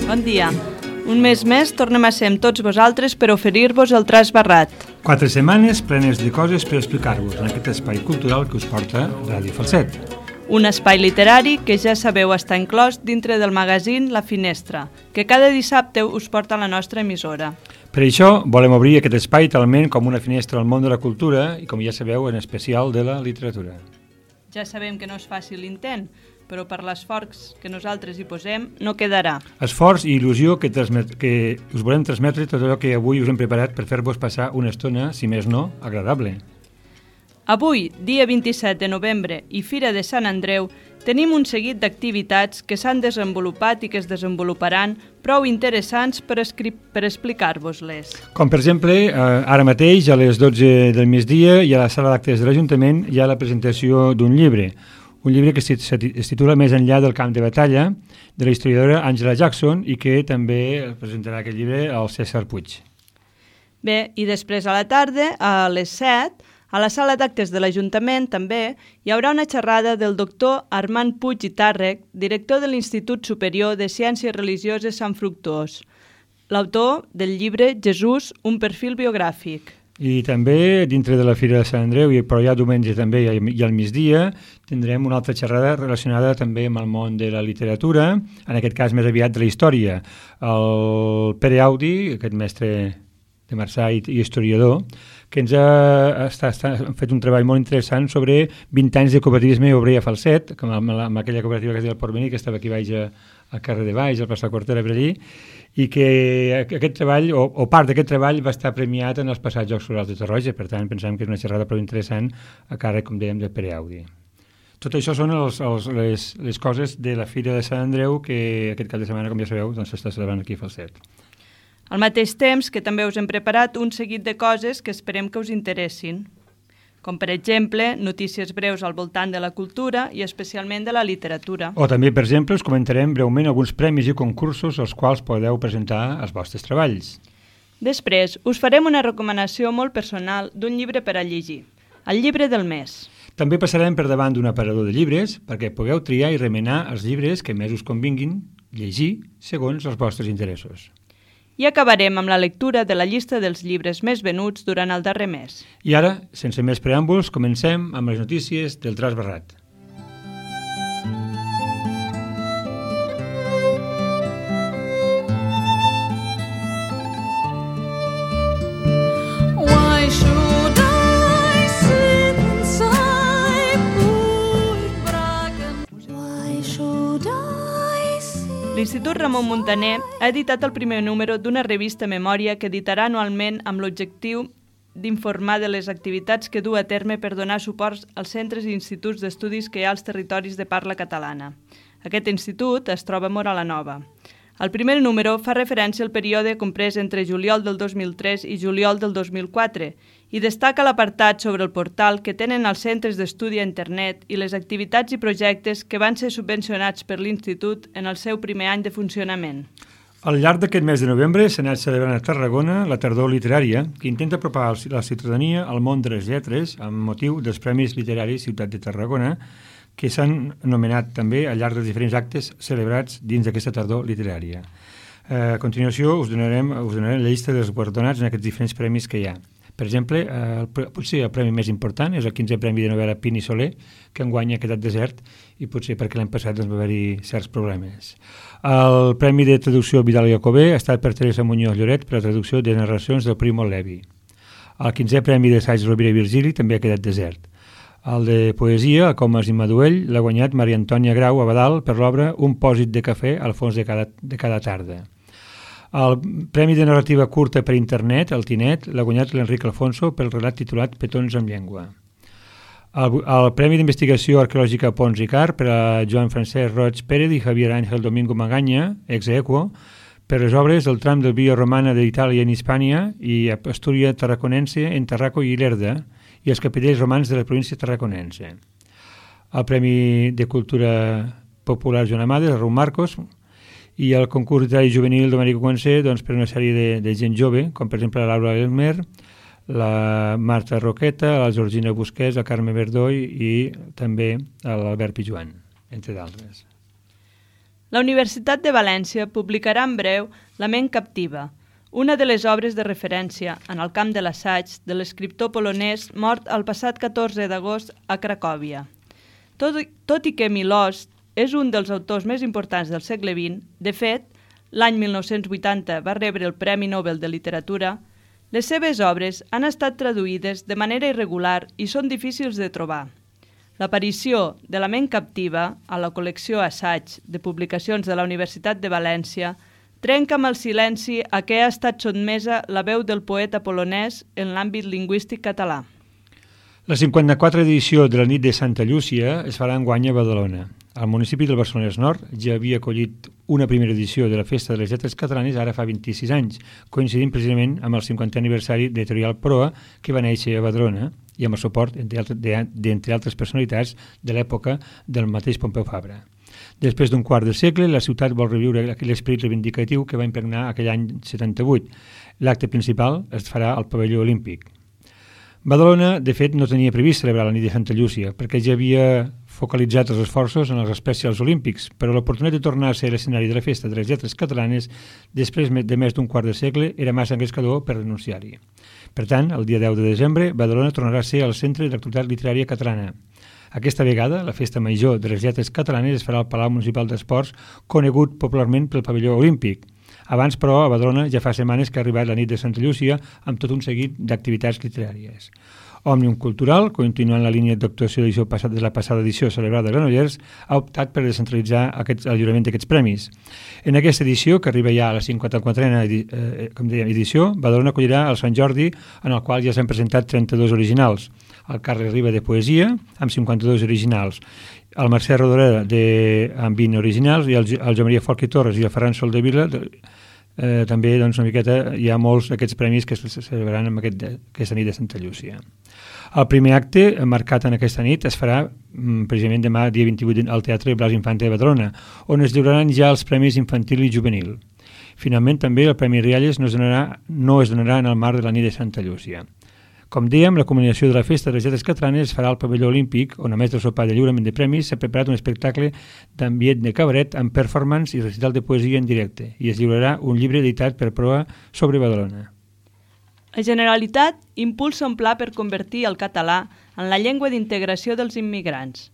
Bon dia. Un mes més tornem a ser amb tots vosaltres per oferir-vos el Tras Barrat. 4 setmanes plenes de coses per explicar-vos en aquest espai cultural que us porta Ràdio Falset. Un espai literari que ja sabeu està inclòs dintre del magazín La Finestra, que cada dissabte us porta a la nostra emissora. Per això volem obrir aquest espai talment com una finestra al món de la cultura i, com ja sabeu, en especial de la literatura. Ja sabem que no és fàcil l'intent, però per l'esforç que nosaltres hi posem no quedarà. Esforç i il·lusió que us volem transmetre tot allò que avui us hem preparat per fer-vos passar una estona, si més no, agradable. Avui, dia 27 de novembre i Fira de Sant Andreu, tenim un seguit d'activitats que s'han desenvolupat i que es desenvoluparan prou interessants per explicar-vos-les. Com per exemple, ara mateix a les 12 del migdia i a la sala d'actes de l'Ajuntament hi ha la presentació d'un llibre. Un llibre que es titula Més enllà del camp de batalla, de la historiadora Angela Jackson, i que també presentarà aquest llibre al César Puig. Bé, i després a la tarda, a les 7, a la sala d'actes de l'Ajuntament també hi haurà una xerrada del doctor Armand Puig i Tàrrec, director de l'Institut Superior de Ciències Religioses Sant Fructuós, l'autor del llibre Jesús, un perfil biogràfic. I també, dintre de la Fira de Sant Andreu, però ja diumenge també i al migdia, tindrem una altra xerrada relacionada també amb el món de la literatura, en aquest cas més aviat de la història. El Pere Audi, aquest mestre de Marçà i historiador, que ens ha fet un treball molt interessant sobre 20 anys de cooperativisme obrer a Falset, amb aquella cooperativa que es deia el Porvenir, que estava aquí baix al carrer de Baix, al Plaça Quartera per allí, i que aquest treball, o part d'aquest treball, va estar premiat en els passats Jocs Florals de Torroja. Per tant, pensem que és una xerrada prou interessant a càrrec, com dèiem, de Pere Audi. Tot això són les coses de la Fira de Sant Andreu que aquest cap de setmana, com ja sabeu, s'està celebrant aquí a Falset. Al mateix temps que també us hem preparat un seguit de coses que esperem que us interessin, com per exemple notícies breus al voltant de la cultura i especialment de la literatura. O també, per exemple, us comentarem breument alguns premis i concursos als quals podeu presentar els vostres treballs. Després, us farem una recomanació molt personal d'un llibre per a llegir, el llibre del mes. També passarem per davant d'un aparador de llibres perquè pugueu triar i remenar els llibres que més us convinguin llegir segons els vostres interessos. I acabarem amb la lectura de la llista dels llibres més venuts durant el darrer mes. I ara, sense més preàmbuls, comencem amb les notícies del Tras Barrat. L'Institut Ramon Muntaner ha editat el primer número d'una revista Memòria que editarà anualment amb l'objectiu d'informar de les activitats que du a terme per donar suport als centres i instituts d'estudis que hi ha als territoris de parla catalana. Aquest institut es troba a Móra la Nova. El primer número fa referència al període comprès entre juliol del 2003 i juliol del 2004 i destaca l'apartat sobre el portal que tenen els centres d'estudi a internet i les activitats i projectes que van ser subvencionats per l'Institut en el seu primer any de funcionament. Al llarg d'aquest mes de novembre s'ha anat celebrant a Tarragona la tardor literària, que intenta apropar la ciutadania al món de les lletres amb motiu dels Premis Literaris Ciutat de Tarragona, que s'han anomenat també al llarg dels diferents actes celebrats dins d'aquesta tardor literària. A continuació us donarem la llista dels guardonats en aquests diferents premis que hi ha. Per exemple, potser el premi més important és el 15è Premi de Novel·la Pini Soler, que enguany ha quedat desert i potser perquè l'any passat va haver-hi certs problemes. El Premi de Traducció Vidal i Jacobé ha estat per Teresa Muñoz Lloret per la traducció de narracions del Primo Levi. El 15è Premi d'Assaig Rovira i Virgili també ha quedat desert. El de Poesia, a Comas i Maduell, l'ha guanyat Maria Antònia Grau Abadal per l'obra Un pòsit de cafè al fons de cada tarda. El Premi de Narrativa Curta per Internet, el Tinet, l'ha guanyat l'Enric Alfonso pel relat titulat Petons amb llengua. El Premi d'Investigació Arqueològica Pons Ricard per a Joan Francesc Roig Pérez i Javier Ángel Domingo Magaña, ex aequo, per les obres del tram del Via Romana d'Itàlia en Hispània i Astúria Tarraconense en Tarraco i Lerda i els capitells romans de la província tarraconense. El Premi de Cultura Popular Joan Amades, el Raúl Marcos, i el concurs literari juvenil Domènec Guansé, doncs, per una sèrie de gent jove, com per exemple la Laura Elmer, la Marta Roqueta, la Georgina Busquets, el Carme Verdoy i també l'Albert Pijuan, entre d'altres. La Universitat de València publicarà en breu La ment captiva, una de les obres de referència en el camp de l'assaig de l'escriptor polonès mort el passat 14 d'agost a Cracòvia. Tot i que Milosz és un dels autors més importants del segle XX, de fet, l'any 1980 va rebre el Premi Nobel de Literatura, les seves obres han estat traduïdes de manera irregular i són difícils de trobar. L'aparició de La ment captiva a la col·lecció Assaig de publicacions de la Universitat de València trenca amb el silenci a què ha estat sotmesa la veu del poeta polonès en l'àmbit lingüístic català. La 54a edició de la nit de Santa Llúcia es farà enguany a Badalona. El municipi del Barcelonès Nord ja havia acollit una primera edició de la Festa de les Lletres Catalanes ara fa 26 anys, coincidint precisament amb el 50è aniversari d'Editorial Proa, que va néixer a Badalona, i amb el suport d'entre altres personalitats de l'època del mateix Pompeu Fabra. Després d'un quart de segle, la ciutat vol reviure aquell esperit reivindicatiu que va impregnar aquell any 78. L'acte principal es farà al pavelló olímpic. Badalona, de fet, no tenia previst celebrar la nit de Santa Llúcia, perquè ja havia focalitzat els esforços en els especials olímpics, però l'oportunitat de tornar a ser l'escenari de la Festa de les Lletres Catalanes després de més d'un quart de segle era massa engrescador per renunciar-hi. Per tant, el dia 10 de desembre, Badalona tornarà a ser el centre de l'actualitat literària catalana. Aquesta vegada, la Festa Major de les Lletres Catalanes es farà al Palau Municipal d'Esports, conegut popularment pel pavelló olímpic. Abans, però, a Badalona ja fa setmanes que ha arribat la nit de Santa Llúcia amb tot un seguit d'activitats literàries. Òmnium Cultural, continuant la línia d'actuació de la passada edició celebrada a Granollers, ha optat per descentralitzar el lliurament d'aquests premis. En aquesta edició, que arriba ja a la 54a edició, Badalona acollirà el Sant Jordi, en el qual ja s'han presentat 32 originals. El Carles Riba de Poesia, amb 52 originals. El Mercè Rodoreda amb 20 originals i el Joan Maria Folch i Torres i el Ferran Soldevila també una miqueta hi ha molts d'aquests premis que es celebraran en aquesta nit de Santa Llúcia. El primer acte marcat en aquesta nit es farà precisament demà, dia 28, al Teatre Blas Infante de Badalona, on es lliuraran ja els premis infantil i juvenil. Finalment, també el Premi Rialles no es donarà en el marc de la nit de Santa Llúcia. Com dèiem, la culminació de la Festa de les Lletres Catalanes es farà al pavelló olímpic, on a més del sopar de lliurament de premis s'ha preparat un espectacle d'ambient de cabaret amb performance i recital de poesia en directe, i es lliurarà un llibre editat per Proa sobre Badalona. La Generalitat impulsa un pla per convertir el català en la llengua d'integració dels immigrants.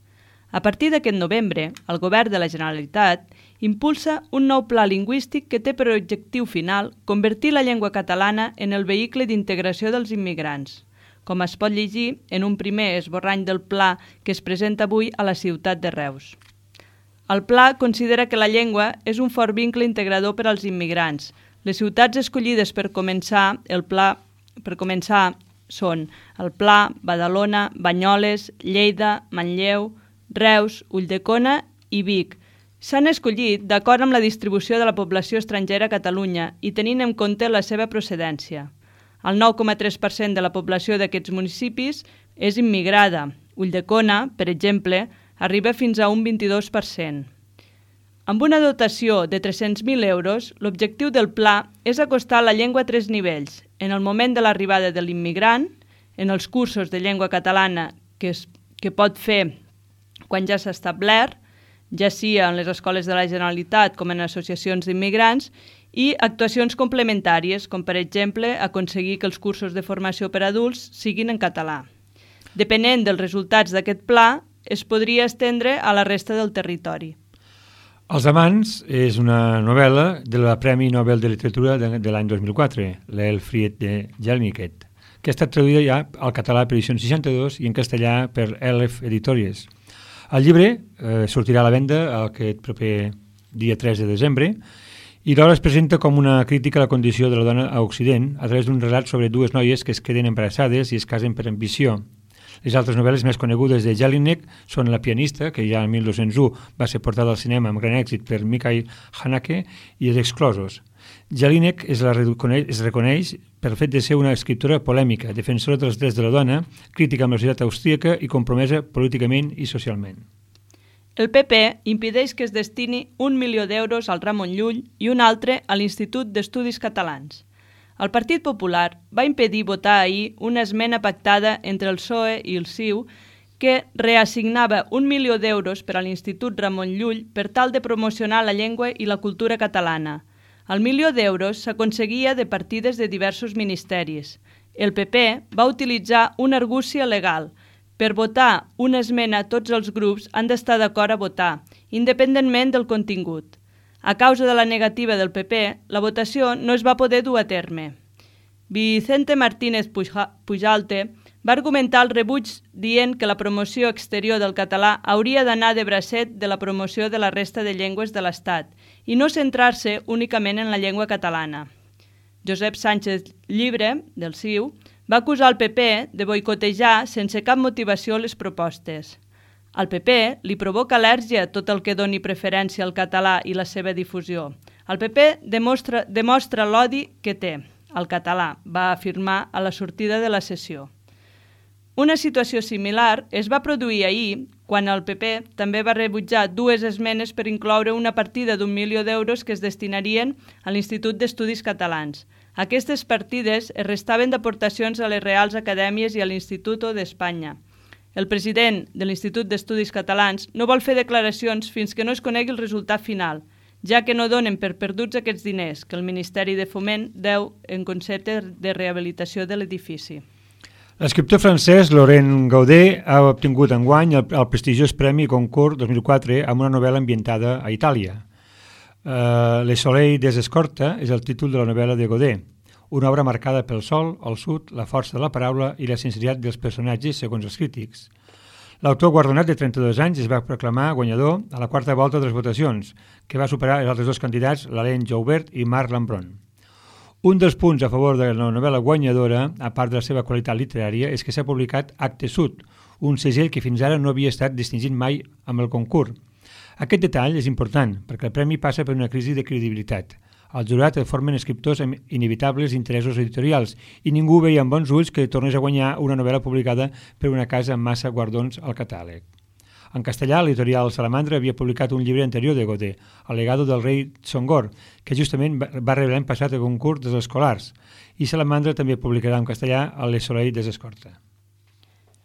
A partir d'aquest novembre, el Govern de la Generalitat impulsa un nou pla lingüístic que té per objectiu final convertir la llengua catalana en el vehicle d'integració dels immigrants, com es pot llegir en un primer esborrany del pla que es presenta avui a la ciutat de Reus. El pla considera que la llengua és un fort vincle integrador per als immigrants. Les ciutats escollides per començar són el Pla, Badalona, Banyoles, Lleida, Manlleu, Reus, Ulldecona i Vic. S'han escollit d'acord amb la distribució de la població estrangera a Catalunya i tenint en compte la seva procedència. El 9,3% de la població d'aquests municipis és immigrada. Ulldecona, per exemple, arriba fins a un 22%. Amb una dotació de 300.000 euros, l'objectiu del pla és acostar la llengua a 3 nivells: en el moment de l'arribada de l'immigrant, en els cursos de llengua catalana que pot fer quan ja s'ha establert, ja sigui en les escoles de la Generalitat com en associacions d'immigrants, i actuacions complementàries, com per exemple aconseguir que els cursos de formació per a adults siguin en català. Depenent dels resultats d'aquest pla, es podria estendre a la resta del territori. Els amants és una novel·la de la Premi Nobel de Literatura de l'any 2004, l'Elfried de Jelinek, que ha estat traduïda ja al català per Edicions 62 i en castellà per Elef Editores. El llibre sortirà a la venda aquest proper dia 3 de desembre i l'obra es presenta com una crítica a la condició de la dona a Occident a través d'un relat sobre dues noies que es queden embarassades i es casen per ambició. Les altres novel·les més conegudes de Jelinek són La pianista, que ja el 1201 va ser portada al cinema amb gran èxit per Mikhail Haneke, i Els exclosos. Jelinek es reconeix per el fet de ser una escriptora polèmica, defensora dels drets de la dona, crítica amb la societat austríaca i compromesa políticament i socialment. El PP impedeix que es destini 1 milió d'euros al Ramon Llull i un altre a l'Institut d'Estudis Catalans. El Partit Popular va impedir votar ahir una esmena pactada entre el PSOE i el CiU que reassignava 1 milió d'euros per a l'Institut Ramon Llull per tal de promocionar la llengua i la cultura catalana. El milió d'euros s'aconseguia de partides de diversos ministeris. El PP va utilitzar una argúcia legal. Per votar una esmena, tots els grups han d'estar d'acord a votar, independentment del contingut. A causa de la negativa del PP, la votació no es va poder dur a terme. Vicente Martínez Pujalte va argumentar el rebuig dient que la promoció exterior del català hauria d'anar de bracet de la promoció de la resta de llengües de l'Estat i no centrar-se únicament en la llengua catalana. Josep Sánchez Llibre, del CiU, va acusar el PP de boicotejar sense cap motivació les propostes. Al PP li provoca al·lèrgia tot el que doni preferència al català i la seva difusió. El PP demostra l'odi que té al català, va afirmar a la sortida de la sessió. Una situació similar es va produir ahir, quan el PP també va rebutjar 2 esmenes per incloure una partida d'1 milió d'euros que es destinarien a l'Institut d'Estudis Catalans. Aquestes partides es restaven d'aportacions a les Reals Acadèmies i a l'Instituto d'Espanya. El president de l'Institut d'Estudis Catalans no vol fer declaracions fins que no es conegui el resultat final, ja que no donen per perduts aquests diners que el Ministeri de Foment deu en concepte de rehabilitació de l'edifici. L'escriptor francès Laurent Gaudet ha obtingut enguany el prestigiós Premi Goncourt 2004 amb una novel·la ambientada a Itàlia. Le Soleil des Escorta és el títol de la novel·la de Gaudet, una obra marcada pel sol, el sud, la força de la paraula i la sinceritat dels personatges, segons els crítics. L'autor guardonat de 32 anys es va proclamar guanyador a la 4ª volta de les votacions, que va superar els altres 2 candidats, l'Alain Joubert i Marc Lambron. Un dels punts a favor de la novel·la guanyadora, a part de la seva qualitat literària, és que s'ha publicat Actes Sud, un segell que fins ara no havia estat distingit mai amb el concurs. Aquest detall és important, perquè el premi passa per una crisi de credibilitat. El jurat el formen escriptors amb inevitables interessos editorials i ningú veia amb bons ulls que tornés a guanyar una novel·la publicada per una casa amb massa guardons al catàleg. En castellà, l'editorial Salamandra havia publicat un llibre anterior de Gaudet, El legado del rei Songor, que justament va rebre l'any passat el concurs dels escolars, i Salamandra també publicarà en castellà El Soleil des Escorta.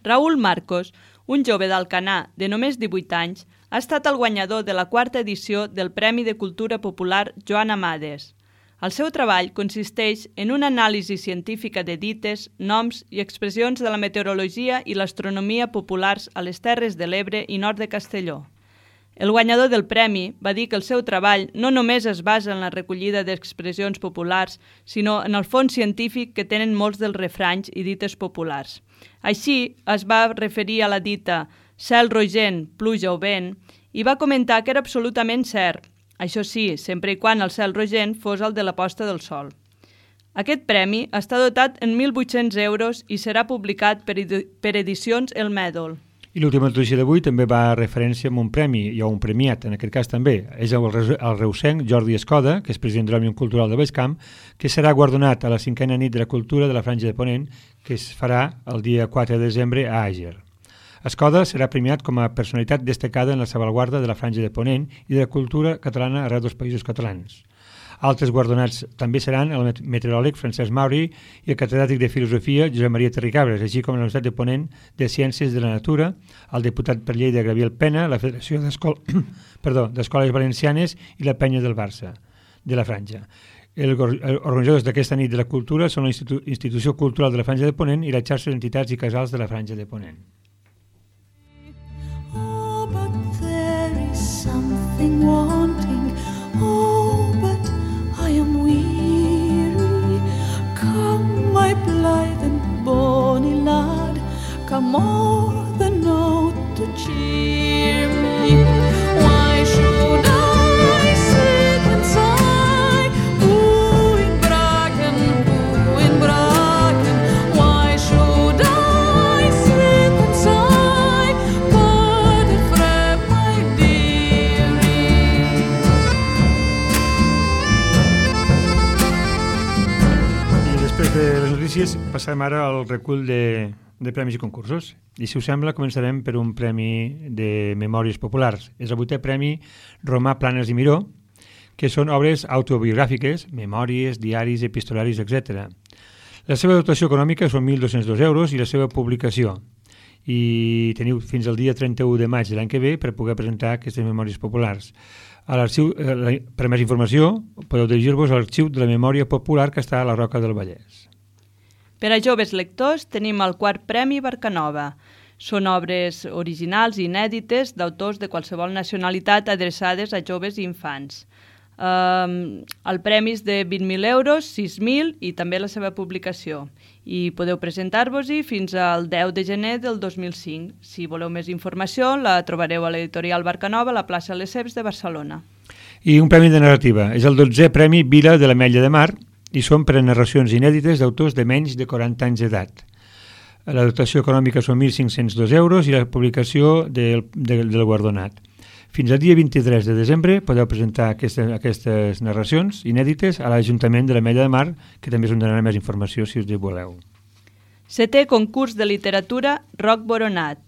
Raúl Marcos, un jove d'Alcanar de només 18 anys, ha estat el guanyador de la 4ª edició del Premi de Cultura Popular Joan Amades. El seu treball consisteix en una anàlisi científica de dites, noms i expressions de la meteorologia i l'astronomia populars a les Terres de l'Ebre i nord de Castelló. El guanyador del premi va dir que el seu treball no només es basa en la recollida d'expressions populars, sinó en el fons científic que tenen molts dels refranys i dites populars. Així es va referir a la dita cel rogent, pluja o vent, i va comentar que era absolutament cert, això sí, sempre i quan el cel rogent fos el de la posta del sol. Aquest premi està dotat en 1.800 euros i serà publicat per Edicions El Mèdol. I l'última notícia d'avui també va a referència a un premi, o un premiat, en aquest cas també. És el reusenc Jordi Escoda, que és president de l'Òmnium Cultural de Baixcamp, que serà guardonat a la 5a nit de la cultura de la Franja de Ponent, que es farà el dia 4 de desembre a Àger. Escoda serà premiat com a personalitat destacada en la salvaguarda de la Franja de Ponent i de la cultura catalana arreu dels països catalans. Altres guardonats també seran el meteoròleg Francesc Mauri i el catedràtic de Filosofia Josep Maria Terricabres, així com la Universitat de Ponent de Ciències de la Natura, el diputat per Lleida Gabriel Pena, la Federació d'Escoles Valencianes i la Penya del Barça, de la Franja. Els organitzadors d'aquesta nit de la cultura són la Institució Cultural de la Franja de Ponent i la xarxa d'entitats i casals de la Franja de Ponent. Something wanting, oh, but I am weary. Come, my blithe and bonny lad, come o'er the note to cheer me. Why should I sit and sigh, in Bracken, Why should I sit Passem ara al recull de premis i concursos. I si us sembla, començarem per un premi de memòries populars. És el 8è premi Romà Planes i Miró, que són obres autobiogràfiques, memòries, diaris, epistolaris, etc. La seva dotació econòmica són 1.202 euros i la seva publicació. I teniu fins al dia 31 de maig de l'any que ve per poder presentar aquestes memòries populars. A l'arxiu, per més informació, podeu dirigir-vos a l'arxiu de la memòria popular que està a la Roca del Vallès. Per a joves lectors tenim el 4è Premi Barcanova. Són obres originals i inèdites d'autors de qualsevol nacionalitat adreçades a joves i infants. El premi és de 20.000 euros, 6.000 i també la seva publicació. I podeu presentar-vos-hi fins al 10 de gener del 2005. Si voleu més informació, la trobareu a l'editorial Barcanova, a la plaça Lesseps de Barcelona. I un premi de narrativa. És el 12è Premi Vila de l'Ametlla de Mar i són per a narracions inèdites d'autors de menys de 40 anys d'edat. La dotació econòmica són 1.502 euros i la publicació del guardonat. Fins al dia 23 de desembre podeu presentar aquestes narracions inèdites a l'Ajuntament de l'Ametlla de Mar, que també us donarà més informació si us hi voleu. 7è Concurs de Literatura Roc Boronat.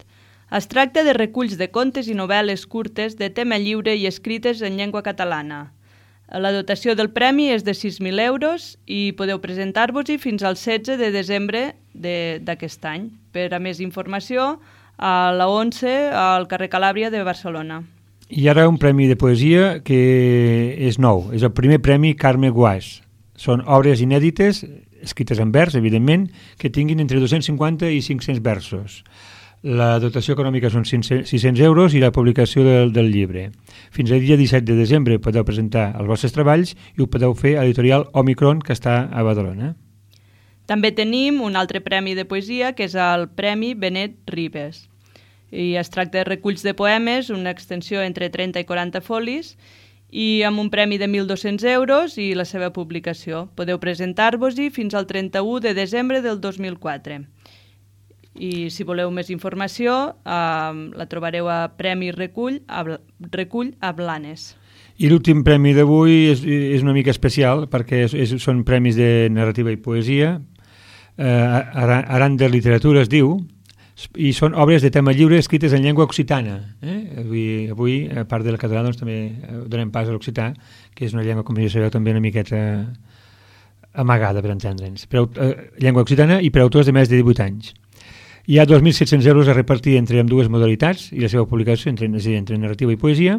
Es tracta de reculls de contes i novel·les curtes de tema lliure i escrites en llengua catalana. La dotació del premi és de 6.000 euros i podeu presentar-vos-hi fins al 16 de desembre d'aquest any. Per a més informació, a la 11, al carrer Calàbria de Barcelona. I ara un premi de poesia que és nou. És el primer premi Carme Guàs. Són obres inèdites, escrites en vers, evidentment, que tinguin entre 250 i 500 versos. La dotació econòmica són 600 euros i la publicació del llibre. Fins al dia 17 de desembre podeu presentar els vostres treballs i ho podeu fer a l'editorial Omicron, que està a Badalona. També tenim un altre premi de poesia, que és el Premi Benet Ribes. I es tracta de reculls de poemes, una extensió entre 30 i 40 folis, i amb un premi de 1.200 euros i la seva publicació. Podeu presentar-vos-hi fins al 31 de desembre del 2004. I si voleu més informació, la trobareu a Premi Recull a Blanes. I l'últim premi d'avui és una mica especial perquè són premis de narrativa i poesia. Aran de Literatura es diu, i són obres de tema lliure escrites en llengua occitana. Avui, a part del català, doncs, també donem pas a l'occità, que és una llengua, com ja sabeu, també una miqueta amagada, per entendre'ns. Llengua occitana i per autors de més de 18 anys. Hi ha 2.700 euros a repartir entre ambdues modalitats i la seva publicació entre narrativa i poesia.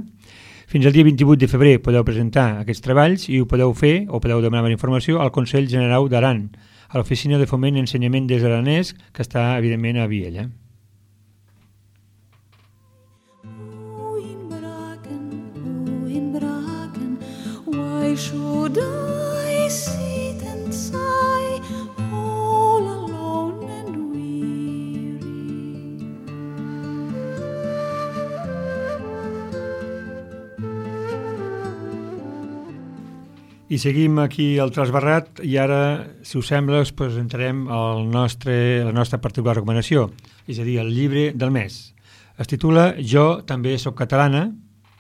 Fins al dia 28 de febrer podeu presentar aquests treballs i ho podeu fer o podeu demanar més informació al Consell General d'Aran, a l'Oficina de Foment i Ensenyament des Aranès, que està, evidentment, a Viella. Why should I sit and sigh all alone and weary? I seguim aquí al Trasbarrat i ara, si us sembla, us presentarem la nostra particular recomanació, és a dir, el llibre del mes. Es titula Jo també soc catalana,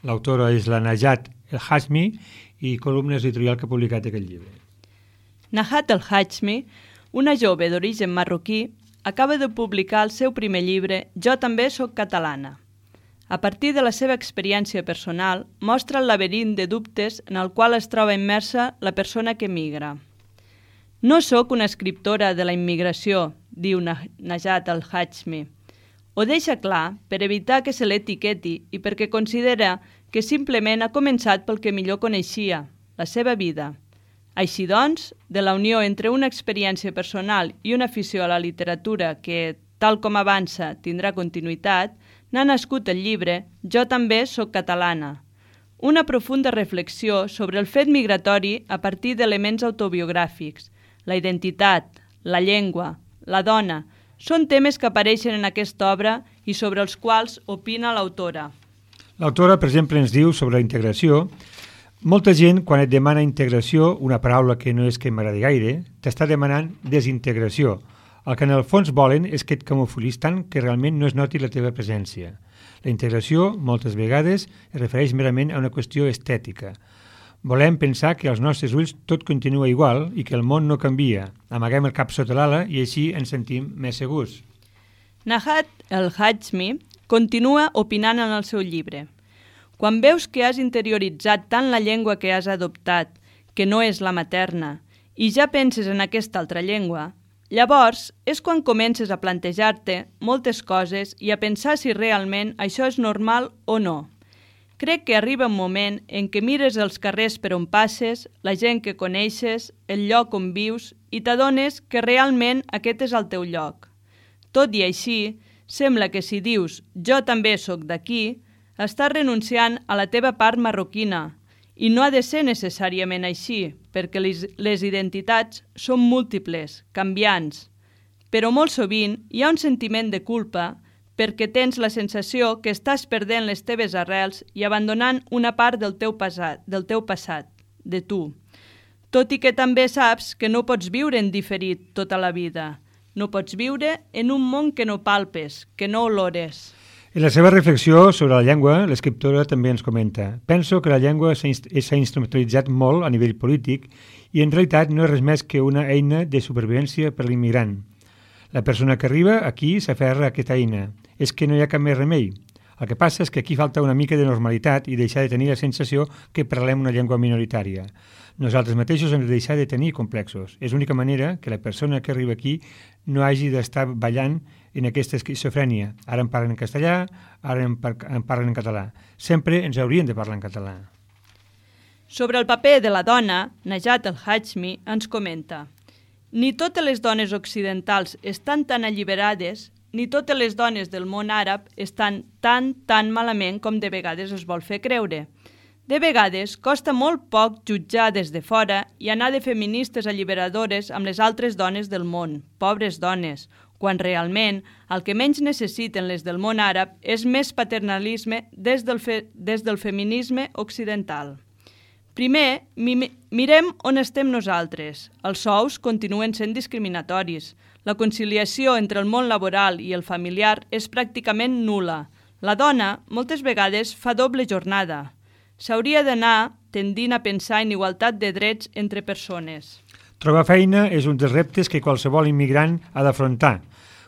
l'autora és la Najat El Hashmi i columna editorial que ha publicat aquest llibre. Najat El Hashmi, una jove d'origen marroquí, acaba de publicar el seu primer llibre Jo també soc catalana. A partir de la seva experiència personal, mostra el laberint de dubtes en el qual es troba immersa la persona que migra. No sóc una escriptora de la immigració, diu Najat El Hashmi. Ho deixa clar per evitar que se l'etiqueti i perquè considera que simplement ha començat pel que millor coneixia, la seva vida. Així doncs, de la unió entre una experiència personal i una afició a la literatura que, tal com avança, tindrà continuïtat, n'ha nascut el llibre Jo també soc catalana, una profunda reflexió sobre el fet migratori a partir d'elements autobiogràfics. La identitat, la llengua, la dona, són temes que apareixen en aquesta obra i sobre els quals opina l'autora. L'autora, per exemple, ens diu sobre la integració: molta gent, quan et demana integració, una paraula que no és que m'agradi gaire, t'està demanant desintegració. El que en el fons volen és que et camuflis tant que realment no es noti la teva presència. La integració, moltes vegades, es refereix merament a una qüestió estètica. Volem pensar que als nostres ulls tot continua igual i que el món no canvia. Amaguem el cap sota l'ala i així ens sentim més segurs. Nahat el-Hajmi continua opinant en el seu llibre. Quan veus que has interioritzat tant la llengua que has adoptat, que no és la materna, i ja penses en aquesta altra llengua, llavors és quan comences a plantejar-te moltes coses i a pensar si realment això és normal o no. Crec que arriba un moment en què mires els carrers per on passes, la gent que coneixes, el lloc on vius i t'adones que realment aquest és el teu lloc. Tot i així, sembla que si dius «jo també sóc d'aquí», estàs renunciant a la teva part marroquina i no ha de ser necessàriament així, perquè les identitats són múltiples, canviants. Però molt sovint hi ha un sentiment de culpa perquè tens la sensació que estàs perdent les teves arrels i abandonant una part del teu passat, de tu. Tot i que també saps que no pots viure en diferit tota la vida. No pots viure en un món que no palpes, que no olores. En la seva reflexió sobre la llengua, l'escriptora també ens comenta: penso que la llengua s'ha instrumentalitzat molt a nivell polític i en realitat no és res més que una eina de supervivència per l'immigrant. La persona que arriba aquí s'aferra a aquesta eina. És que no hi ha cap més remei. El que passa és que aquí falta una mica de normalitat i deixar de tenir la sensació que parlem una llengua minoritària. Nosaltres mateixos hem de deixar de tenir complexos. És l'única manera que la persona que arriba aquí no hagi d'estar ballant en aquesta esquizofrènia. Ara em parlen en castellà, ara em parlen en català. Sempre ens haurien de parlar en català. Sobre el paper de la dona, Najat el-Hajmi ens comenta: ni totes les dones occidentals estan tan alliberades, ni totes les dones del món àrab estan tan malament com de vegades es vol fer creure. De vegades costa molt poc jutjar des de fora i anar de feministes alliberadores amb les altres dones del món, pobres dones, quan realment el que menys necessiten les del món àrab és més paternalisme des del feminisme occidental. Primer, mirem on estem nosaltres. Els sous continuen sent discriminatoris. La conciliació entre el món laboral i el familiar és pràcticament nul·la. La dona, moltes vegades, fa doble jornada. S'hauria d'anar tendint a pensar en igualtat de drets entre persones. Trobar feina és un dels reptes que qualsevol immigrant ha d'afrontar.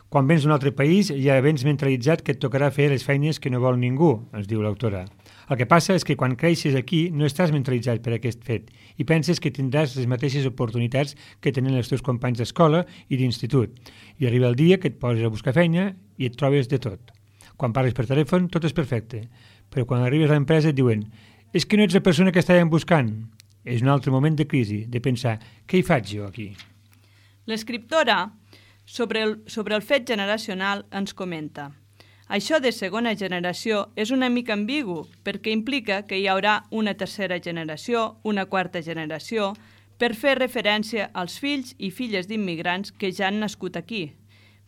Quan vens d'un altre país ja vens mentalitzat que et tocarà fer les feines que no vol ningú, ens diu l'autora. El que passa és que quan creixes aquí no estàs mentalitzat per aquest fet i penses que tindràs les mateixes oportunitats que tenen els teus companys d'escola i d'institut. I arriba el dia que et poses a buscar feina i et trobes de tot. Quan parles per telèfon tot és perfecte, però quan arribes a l'empresa et diuen «és que no ets la persona que estàvem buscant». És un altre moment de crisi, de pensar «què hi faig jo aquí?». L'escriptora, sobre el fet generacional, ens comenta: això de segona generació és una mica ambigu perquè implica que hi haurà una tercera generació, una quarta generació, per fer referència als fills i filles d'immigrants que ja han nascut aquí.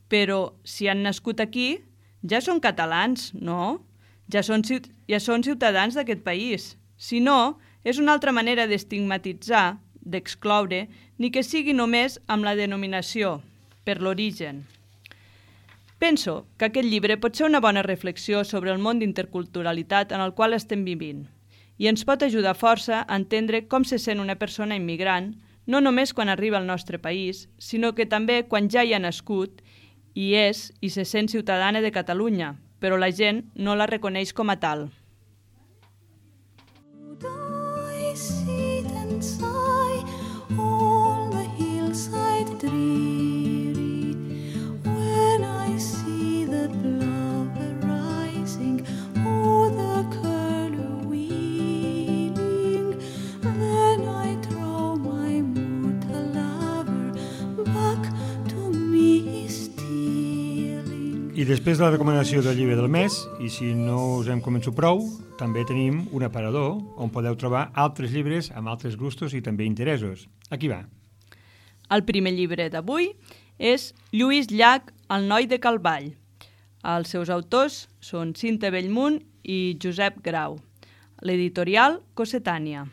Però si han nascut aquí, ja són catalans, no? Ja són ciutadans d'aquest país. Si no, és una altra manera d'estigmatitzar, d'excloure, ni que sigui només amb la denominació, per l'origen. Penso que aquest llibre pot ser una bona reflexió sobre el món d'interculturalitat en el qual estem vivint i ens pot ajudar força a entendre com se sent una persona immigrant, no només quan arriba al nostre país, sinó que també quan ja hi ha nascut i és i se sent ciutadana de Catalunya, però la gent no la reconeix com a tal. I després de la recomanació del llibre del mes, i si no us hem convençut prou, també tenim un aparador on podeu trobar altres llibres amb altres gustos i també interessos. Aquí va. El primer llibre d'avui és Lluís Llach, El noi de Calvall. Els seus autors són Cinta Bellmunt i Josep Grau. L'editorial Cossetània.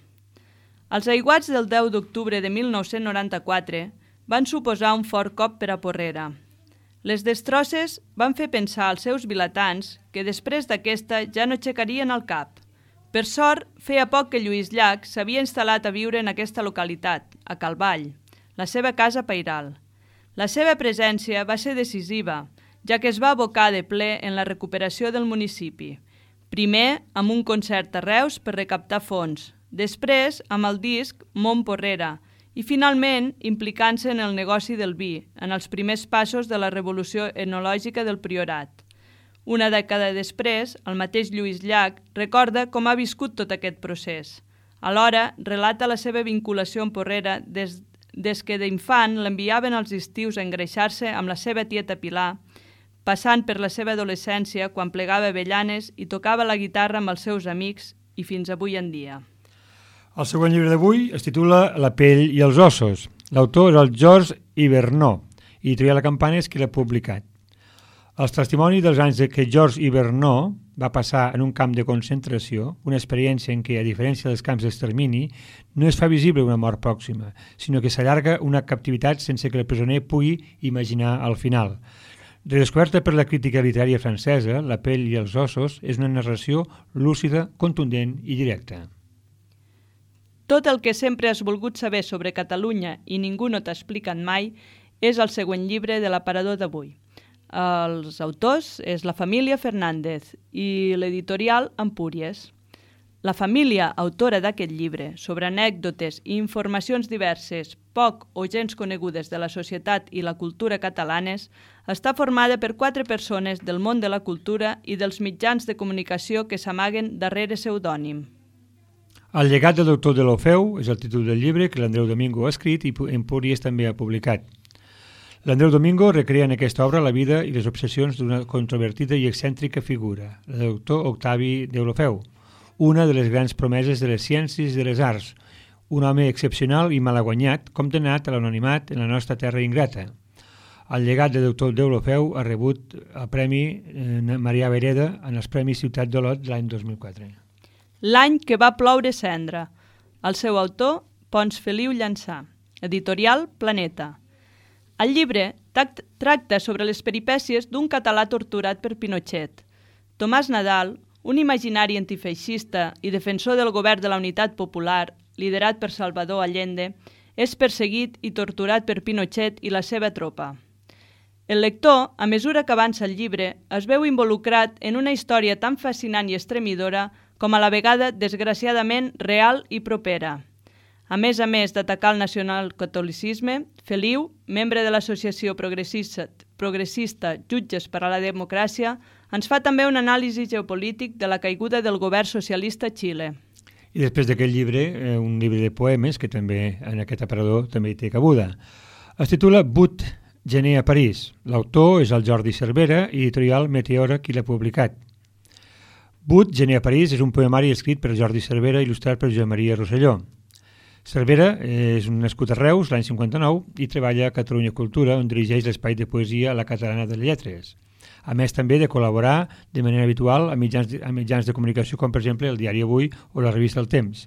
Els aiguats del 10 d'octubre de 1994 van suposar un fort cop per a Porrera. Les destrosses van fer pensar als seus vilatans que després d'aquesta ja no aixecarien el cap, Per sort, feia poc que Lluís Llach s'havia instal·lat a viure en aquesta localitat, a Calvall, la seva casa pairal. La seva presència va ser decisiva, ja que es va abocar de ple en la recuperació del municipi. Primer amb un concert a Reus per recaptar fons, després amb el disc Mont Porrera i finalment implicant-se en el negoci del vi, en els primers passos de la revolució etnològica del Priorat. Una dècada després, el mateix Lluís Llach recorda com ha viscut tot aquest procés. Alhora, relata la seva vinculació amb Porrera des que d'infant l'enviaven als estius a engreixar-se amb la seva tieta Pilar, passant per la seva adolescència quan plegava avellanes i tocava la guitarra amb els seus amics i fins avui en dia. El següent llibre d'avui es titula La pell i els ossos. L'autor és el Georges Hivernot i Editorial La Campana és qui l'ha publicat. El testimoni dels anys que Georges Hivernot va passar en un camp de concentració, una experiència en què, a diferència dels camps d'extermini, no es fa visible una mort pròxima, sinó que s'allarga una captivitat sense que el presoner pugui imaginar el final. Redescoberta per la crítica literària francesa, La pell i els ossos és una narració lúcida, contundent i directa. Tot el que sempre has volgut saber sobre Catalunya i ningú no t'ha explicat mai és el següent llibre de l'aparador d'avui. Els autors és la família Fernández i l'editorial Empúries. La família autora d'aquest llibre, sobre anècdotes i informacions diverses, poc o gens conegudes de la societat i la cultura catalanes, està formada per 4 persones del món de la cultura i dels mitjans de comunicació que s'amaguen darrere pseudònim. El llegat del doctor Deulofeu és el títol del llibre que l'Andreu Domingo ha escrit i Empúries també ha publicat. L'Andreu Domingo recrea en aquesta obra la vida i les obsessions d'una controvertida i excèntrica figura, el doctor Octavi Deulofeu, una de les grans promeses de les ciències i de les arts, un home excepcional i malaguanyat, condemnat a l'anonimat en la nostra terra ingrata. El llegat del doctor Deulofeu ha rebut el Premi Marià Vereda en els Premis Ciutat d'Olot l'any 2004. L'any que va ploure cendra. El seu autor, Pons Feliu Llançà. Editorial Planeta. El llibre tracta sobre les peripècies d'un català torturat per Pinochet. Tomàs Nadal, un imaginari antifeixista i defensor del govern de la Unitat Popular, liderat per Salvador Allende, és perseguit i torturat per Pinochet i la seva tropa. El lector, a mesura que avança el llibre, es veu involucrat en una història tan fascinant i estremidora com a la vegada desgraciadament real i propera. A més d'atacar el nacionalcatolicisme, Feliu, membre de l'associació progressista Jutges per a la Democràcia, ens fa també un anàlisi geopolític de la caiguda del govern socialista a Xile. I després d'aquest llibre, un llibre de poemes, que també en aquest aparador també hi té cabuda. Es titula 8 gener a París. L'autor és el Jordi Cervera i editorial Meteora qui l'ha publicat. 8 gener a París és un poemari escrit per Jordi Cervera i il·lustrat per Joan Maria Rosselló. Cervera és un nascut a Reus l'any 59 i treballa a Catalunya Cultura, on dirigeix l'espai de poesia La Catalana de Lletres. A més també de col·laborar de manera habitual a mitjans de comunicació com per exemple el Diari Avui o la revista El Temps.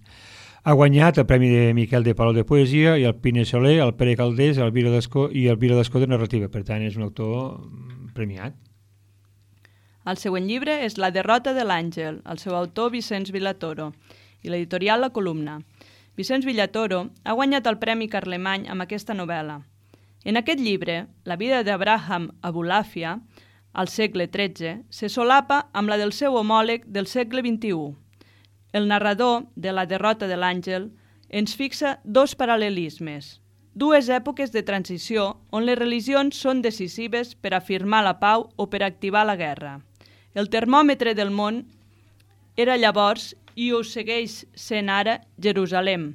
Ha guanyat el Premi de Miquel de Palol de Poesia i el Pine Soler, el Pere Caldés el Vila d'Escó de Narrativa. Per tant, és un autor premiat. El següent llibre és La derrota de l'àngel, el seu autor Vicenç Villatoro, i l'editorial La Columna. Vicenç Villatoro ha guanyat el Premi Carlemany amb aquesta novel·la. En aquest llibre, la vida d'Abraham Abulafia, al segle XIII, se solapa amb la del seu homòleg del segle XXI. El narrador de La derrota de l'àngel ens fixa 2 paral·lelismes, 2 èpoques de transició on les religions són decisives per afirmar la pau o per activar la guerra. El termòmetre del món era llavors i ho segueix sent ara Jerusalem,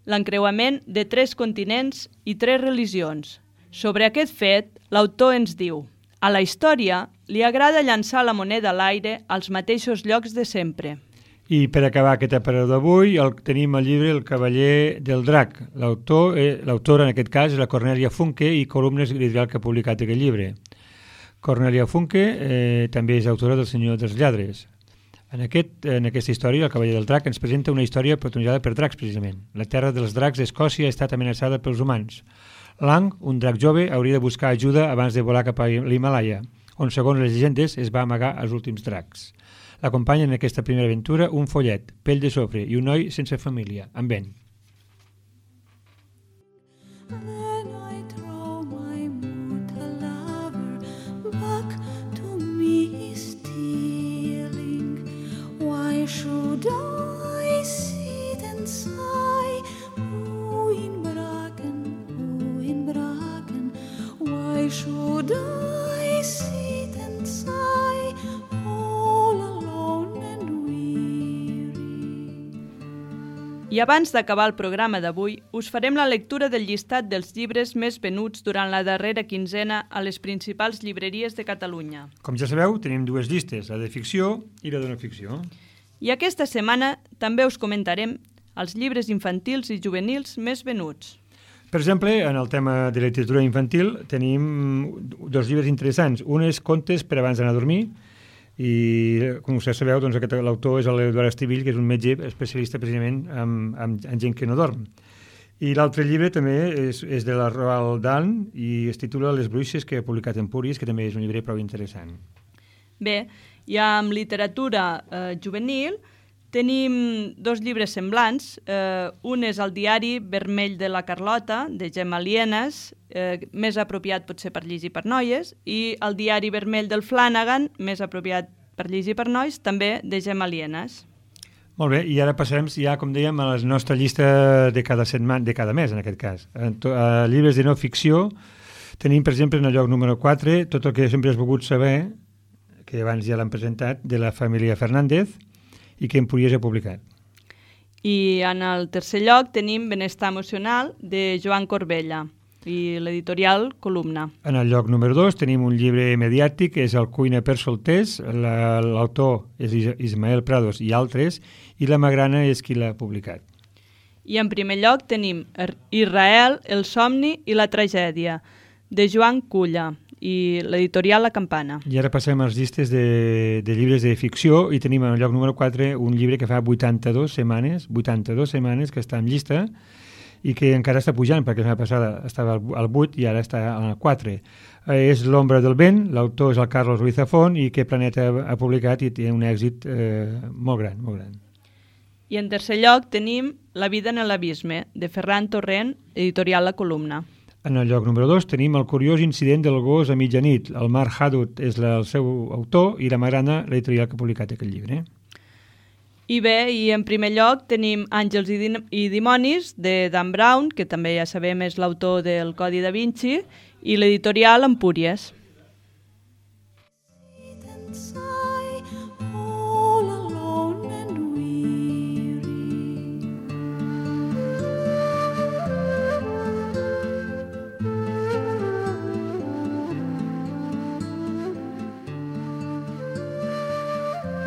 l'encreuament de 3 continents i 3 religions. Sobre aquest fet, l'autor ens diu: a la història li agrada llançar la moneda a l'aire als mateixos llocs de sempre. I per acabar aquest aparador d'avui tenim el llibre El cavaller del drac. L'autora en aquest cas és la Cornèlia Funke i Columnes editorial que ha publicat aquest llibre. Cornèlia Funke també és autora del Senyor dels Lladres. En aquesta història, El cavaller del drac ens presenta una història protagonitzada per dracs, precisament. La terra dels dracs d'Escòcia ha estat amenaçada pels humans. Lang, un drac jove, hauria de buscar ajuda abans de volar cap a l'Himalaya, on, segons les llegendes, es va amagar els últims dracs. L'acompanyen en aquesta primera aventura un follet, pell de sofre i un noi sense família, amb ell. Then I throw my mortal lover back to me stealing. Why should I sit and sigh? In Bracken. Why should I sit and sigh all alone and weary? I abans d'acabar el programa d'avui, us farem la lectura del llistat dels llibres més venuts durant la darrera quinzena a les principals llibreries de Catalunya. Com ja sabeu, tenim dues llistes, la de ficció i la de no ficció. I aquesta setmana també us comentarem els llibres infantils i juvenils més venuts. Per exemple, en el tema de literatura infantil tenim dos llibres interessants. Un és Contes per abans d'anar a dormir i, com vostès sabeu, doncs, l'autor és l'Eduard Estivill, que és un metge especialista precisament en gent que no dorm. I l'altre llibre també és de la Roald Dahl i es titula Les bruixes, que ha publicat Empúries, que també és un llibre prou interessant. Bé, ja amb literatura juvenil tenim dos llibres semblants. Un és el diari Vermell de la Carlota, de Gemma Lienas, més apropiat potser per llegir per noies, i el diari Vermell del Flanagan, més apropiat per llegir per nois, també de Gemma Lienas. Molt bé, i ara passarem ja, com dèiem, a la nostra llista de cada setmana, de cada mes, en aquest cas. Llibres de no ficció tenim, per exemple, en el lloc número 4, tot el que sempre has volgut saber, que abans ja l'han presentat, de la família Fernández, i que Empúries ha publicat. I en el tercer lloc tenim Benestar emocional, de Joan Corbella, i l'editorial Columna. En el lloc número 2 tenim un llibre mediàtic, que és El cuina per solters, l'autor és Ismael Prados i altres, i la Magrana és qui l'ha publicat. I en primer lloc tenim Israel, el somni i la tragèdia, de Joan Culla, i l'editorial La Campana. I ara passem als llistes de llibres de ficció i tenim en el lloc número 4 un llibre que fa 82 setmanes que està en llista i que encara està pujant, perquè la setmana passada estava al 8 i ara està al 4. És L'ombra del vent, l'autor és el Carlos Ruiz Zafón i que Planeta ha publicat i té un èxit molt gran, molt gran. I en tercer lloc tenim La vida en l'abisme, de Ferran Torrent, editorial La Columna. En el lloc número 2 tenim El curiós incident del gos a mitjanit. El Mark Hadut és el seu autor i la Magrana, l'editorial que ha publicat aquest llibre. I bé, i en primer lloc tenim Àngels i dimonis, de Dan Brown, que també ja sabem és l'autor del Codi da Vinci, i l'editorial Empúries.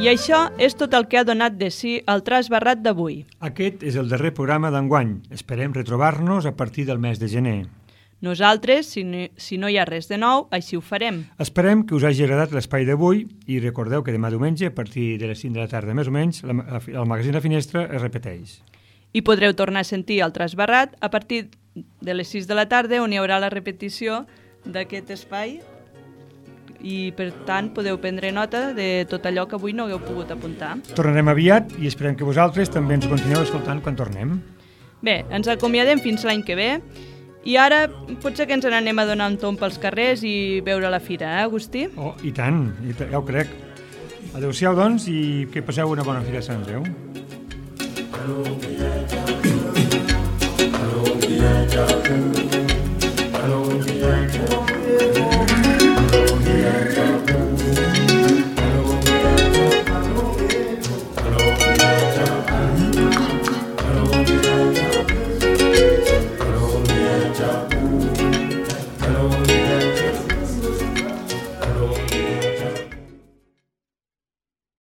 I això és tot el que ha donat de si el Tras Barrat d'avui. Aquest és el darrer programa d'enguany. Esperem retrobar-nos a partir del mes de gener. Nosaltres, si no hi ha res de nou, així ho farem. Esperem que us hagi agradat l'espai d'avui i recordeu que demà diumenge, a partir de les 5 de la tarda més o menys, el magazín La Finestra es repeteix. I podreu tornar a sentir el Tras Barrat a partir de les 6 de la tarda, on hi haurà la repetició d'aquest espai, i per tant podeu prendre nota de tot allò que avui no hagueu pogut apuntar. Tornarem aviat i esperem que vosaltres també ens continueu escoltant quan tornem. Bé, ens acomiadem fins l'any que ve i ara potser que ens n'anem a donar un tomb pels carrers i veure la fira, Agustí? Oh, i tant, ja ho crec. Adéu-siau, doncs, i que passeu una bona fira de Sant Andreu.